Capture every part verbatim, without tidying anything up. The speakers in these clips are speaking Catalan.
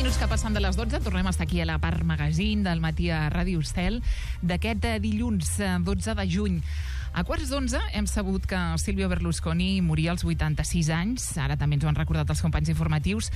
minuts que passen de les dotze, tornem a estar aquí a la part magazine del matí a Ràdio Estel d'aquest dilluns dotze de juny. A quarts d'onze hem sabut que Silvio Berlusconi moria als vuitanta-sis anys, ara també ens ho han recordat els companys informatius.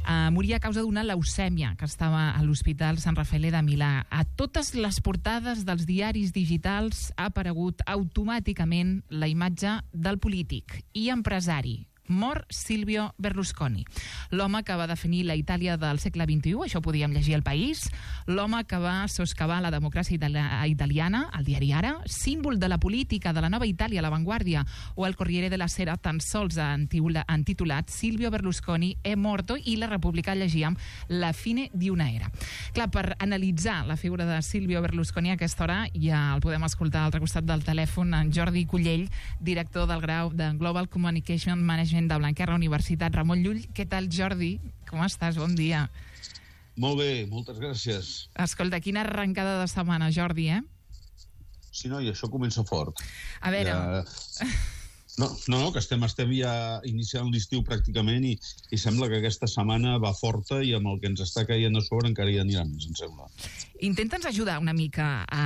Uh, moria a causa d'una leucèmia que estava a l'Hospital Sant Raffaele de Milà. A totes les portades dels diaris digitals ha aparegut automàticament la imatge del polític i empresari. Mor Silvio Berlusconi, l'home que va definir la Itàlia del segle vint-i-u, això ho podíem llegir al País, l'home que va soscavar la democràcia italiana, al diari Ara, símbol de la política de la nova Itàlia, La Vanguardia, o el Corriere della Sera, tan sols han titulat Silvio Berlusconi è morto, i la Repubblica llegíem la fine di una era. Clar, per analitzar la figura de Silvio Berlusconi a aquesta hora ja el podem escoltar al altre costat del telèfon, en Jordi Cullell, director del grau de Global Communication Management de Blanquerna Universitat Ramon Llull. Què tal, Jordi? Com estàs? Bon dia. Molt bé, moltes gràcies. Escolta, quina arrencada de setmana, Jordi, eh? Sí, no, i això comença fort. A veure... Ja... No, no, no, que estem, estem ja iniciant l'estiu pràcticament i, i sembla que aquesta setmana va forta i amb el que ens està caient a sobre encara hi anirà més, em sembla. Intenta'ns ajudar una mica a,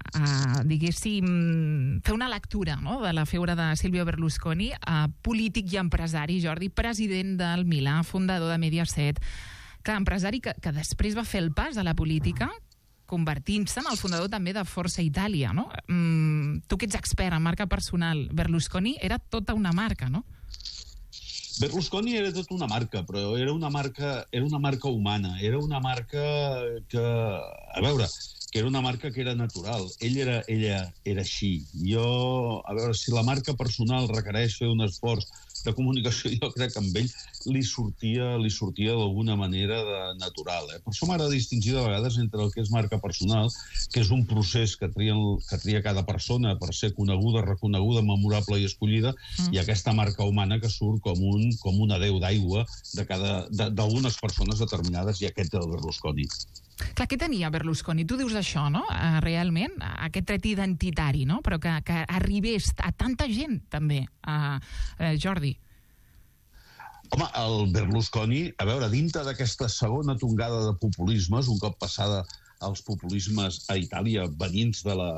a diguéssim, fer una lectura, no?, de la figura de Silvio Berlusconi, a polític i empresari, Jordi, president del Milà, fundador de Mediaset. Clar, empresari que, que després va fer el pas a la política, convertint-se en el fundador també de Força Itàlia, no? Mm, tu que ets expert en marca personal, Berlusconi era tota una marca, no? Berlusconi era tota una marca, però era una marca, era una marca humana, era una marca que, a veure, que era una marca que era natural. Ell era, ella era així. Jo, a veure, si la marca personal requereix fer un esforç de comunicació, jo crec que amb ell li sortia, li sortia d'alguna manera de natural. Eh? Per això m'agrada distingir de vegades entre el que és marca personal, que és un procés que tria, que tria cada persona per ser coneguda, reconeguda, memorable i escollida, mm. i aquesta marca humana que surt com, un, com una deu d'aigua de cada, d'algunes persones determinades, i aquest és el Berlusconi. Clar, què tenia Berlusconi? Tu dius això, no? Uh, realment, aquest tret identitari, no? Però que, que arribés a tanta gent, també, uh, uh, Jordi. Home, el Berlusconi, a veure, dintre d'aquesta segona tongada de populismes, un cop passada els populismes a Itàlia venint de la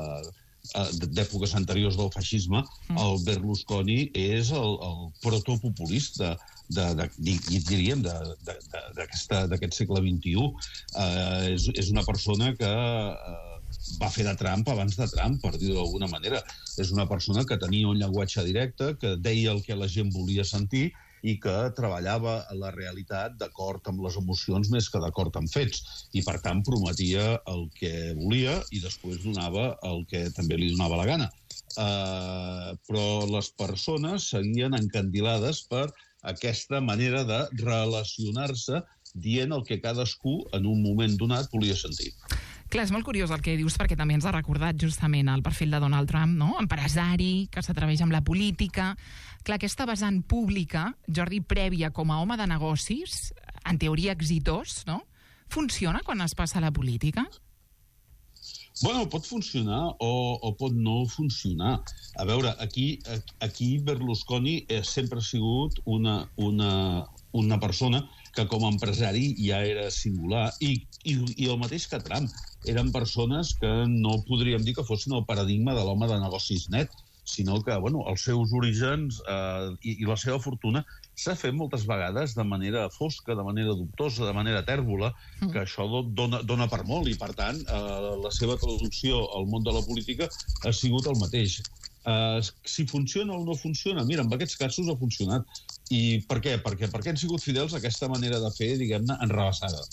d'èpoques anteriors del feixisme, mm. el Berlusconi és el, el protopopulista de, de, de, diríem, d'aquest segle vint-i-u. Uh, és, és una persona que uh, va fer de Trump abans de Trump, per dir-ho d'alguna manera. És una persona que tenia un llenguatge directe, que deia el que la gent volia sentir i que treballava la realitat d'acord amb les emocions més que d'acord amb fets. I, per tant, prometia el que volia i després donava el que també li donava la gana. Uh, però les persones seguien encandilades per aquesta manera de relacionar-se dient el que cadascú en un moment donat volia sentir. Clar, és molt curiós el que dius, perquè també ens ha recordat justament el perfil de Donald Trump, no? Empresari, que s'atreveix amb la política. Clar, aquesta vessant pública, Jordi, prèvia com a home de negocis, en teoria exitós, no? Funciona quan es passa a la política? Bueno, pot funcionar o, o pot no funcionar. A veure, aquí, aquí Berlusconi sempre ha sigut una, una, una persona que com a empresari ja era singular, i, i, i el mateix que Trump. Eren persones que no podríem dir que fossin el paradigma de l'home de negocis net, sinó que, bueno, els seus orígens eh, i, i la seva fortuna s'ha fet moltes vegades de manera fosca, de manera dubtosa, de manera tèrbola, que això dona, dona per molt, i per tant eh, la seva traducció al món de la política ha sigut el mateix. Eh, si funciona o no funciona, mira, en aquests casos ha funcionat. I per què? Perquè, perquè han sigut fidels a aquesta manera de fer, diguem-ne, enrebaçada.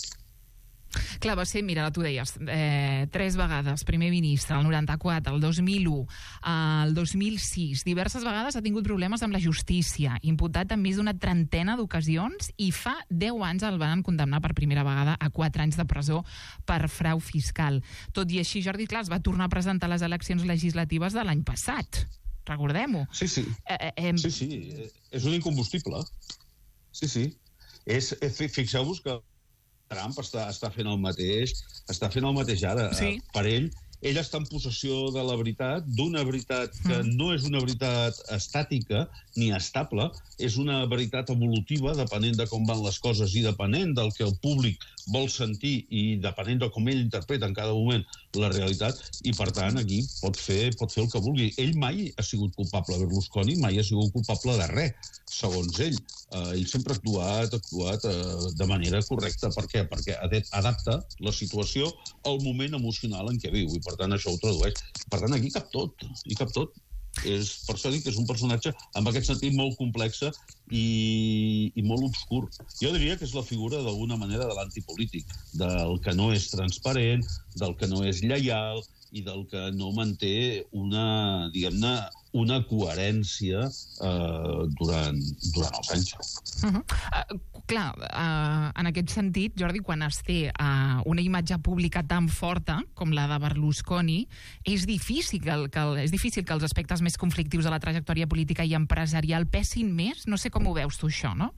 Clar, va ser, mira, tu deies, eh, tres vegades primer ministre, el noranta-quatre, el dos mil u, el dos mil sis. Diverses vegades ha tingut problemes amb la justícia, imputat en més d'una trentena d'ocasions, i fa deu anys el van condemnar per primera vegada a quatre anys de presó per frau fiscal. Tot i així, Jordi, clar, es va tornar a presentar a les eleccions legislatives de l'any passat. Recordem-ho. Sí, sí. Eh, eh, sí, sí. És un incombustible. Sí, sí. És, fixeu-vos que Trump està, està fent el mateix, està fent el mateix ara. Sí. Per ell ell està en possessió de la veritat, d'una veritat que no és una veritat estàtica ni estable, és una veritat evolutiva, depenent de com van les coses i depenent del que el públic vol sentir i depenent de com ell interpreta en cada moment la realitat, i per tant aquí pot fer, pot fer el que vulgui. Ell mai ha sigut culpable, Berlusconi mai ha sigut culpable de res, segons ell. Uh, ell sempre ha actuat, ha actuat uh, de manera correcta. Per què? Perquè adapta la situació al moment emocional en què viu, i per tant això ho tradueix. Per tant, aquí cap tot, i cap tot. És, per això dic que és un personatge amb aquest sentit molt complex i, i molt obscur. Jo diria que és la figura d'alguna manera de l'antipolític, del que no és transparent, del que no és lleial i del que no manté una, diguem-ne, una coherència eh, durant, durant els anys. Uh-huh. Uh, clar, uh, en aquest sentit, Jordi, quan es té uh, una imatge pública tan forta com la de Berlusconi, és difícil que, el, que el, és difícil que els aspectes més conflictius de la trajectòria política i empresarial pesin més? No sé com ho veus tu, això, no?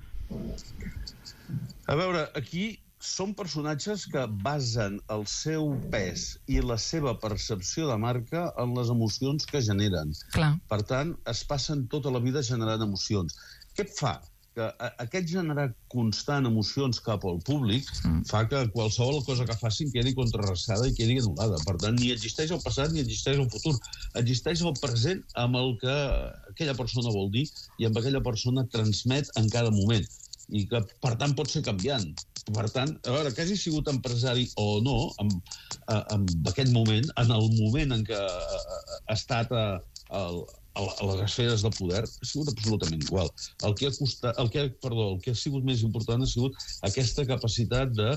A veure, aquí són personatges que basen el seu pes i la seva percepció de marca en les emocions que generen. Clar. Per tant, es passen tota la vida generant emocions. Què fa? Que aquest generar constant emocions cap al públic mm. fa que qualsevol cosa que facin quedi contrarrestada i quedi anul·lada. Per tant, ni existeix el passat ni existeix el futur. Existeix el present amb el que aquella persona vol dir i amb aquella persona transmet en cada moment. I que, per tant, pot ser canviant. Per tant, a veure, que hagi sigut empresari o no, en, en aquest moment, en el moment en què ha estat a, a, a les esferes de poder, ha sigut absolutament igual. El que ha costat, el que, perdó, el que ha sigut més important ha sigut aquesta capacitat de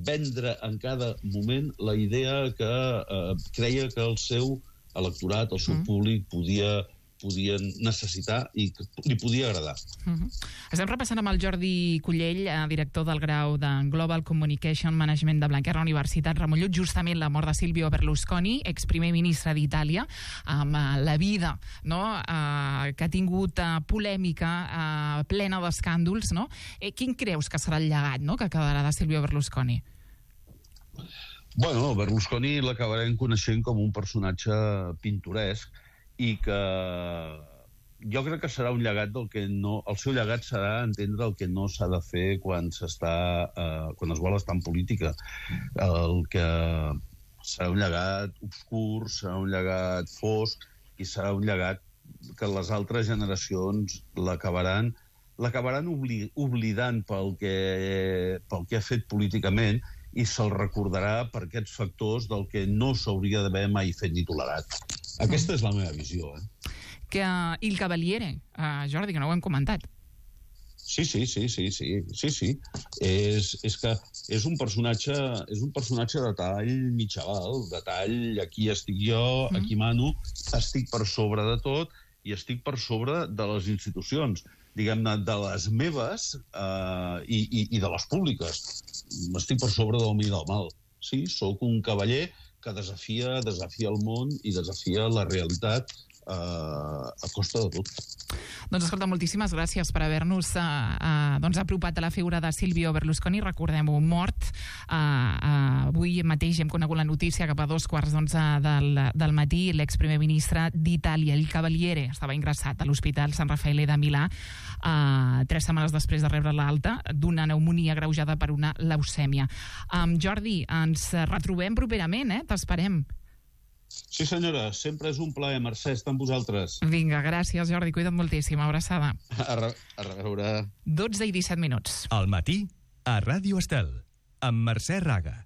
vendre en cada moment la idea que eh, creia que el seu electorat, el seu mm. públic, podia... podien necessitar i que li podia agradar. Uh-huh. Estem repassant amb el Jordi Cullell, director del grau de Global Communication Management de Blanquerna Universitat Ramon Llull, justament la mort de Silvio Berlusconi, exprimer ministre d'Itàlia, amb uh, la vida, no? uh, que ha tingut uh, polèmica uh, plena d'escàndols. No? Eh, quin creus que serà el llegat, no?, que quedarà de Silvio Berlusconi? Bueno, Berlusconi l'acabarem coneixent com un personatge pintoresc i que jo crec que serà un llegat del que no... El seu llegat serà entendre el que no s'ha de fer quan s'està... Eh, quan es vol estar en política. El que serà un llegat obscur, serà un llegat fosc i serà un llegat que les altres generacions l'acabaran l'acabaran obli oblidant pel que, pel que ha fet políticament i se'l recordarà per aquests factors del que no s'hauria d'haver mai fet ni tolerat. Aquesta és la meva visió. Eh? Que uh, Il Cavaliere, uh, Jordi, que no ho hem comentat. Sí, sí, sí, sí, sí, sí, sí. És, és que és un personatge, és un personatge de tall mitjaval, de tall aquí estic jo, mm. aquí mano, estic per sobre de tot i estic per sobre de les institucions, diguem-ne, de les meves eh, i, i, i de les públiques. Estic per sobre del bé i del mal. Sí, sóc un cavaller que desafia, desafia el món i desafia la realitat eh, a costa de tot. Doncs escolta, moltíssimes gràcies per haver-nos uh, uh, doncs, apropat a la figura de Silvio Berlusconi. Recordem-ho, mort. Uh, uh, avui mateix hem conegut la notícia cap a dos quarts d'onze del, del matí. L'exprimer ministre d'Itàlia, Il Cavaliere, estava ingressat a l'Hospital Sant Raffaele de Milà uh, tres setmanes després de rebre l'alta d'una pneumònia agreujada per una leucèmia. Um, Jordi, ens retrobem properament, eh? T'esperem. Sí, senyora, sempre és un plaer. Mercè, està amb vosaltres. Vinga, gràcies, Jordi. Cuida't moltíssim. Abraçada. A, re a reveure. dotze i disset minuts. Al matí, a Ràdio Estel, amb Mercè Raga.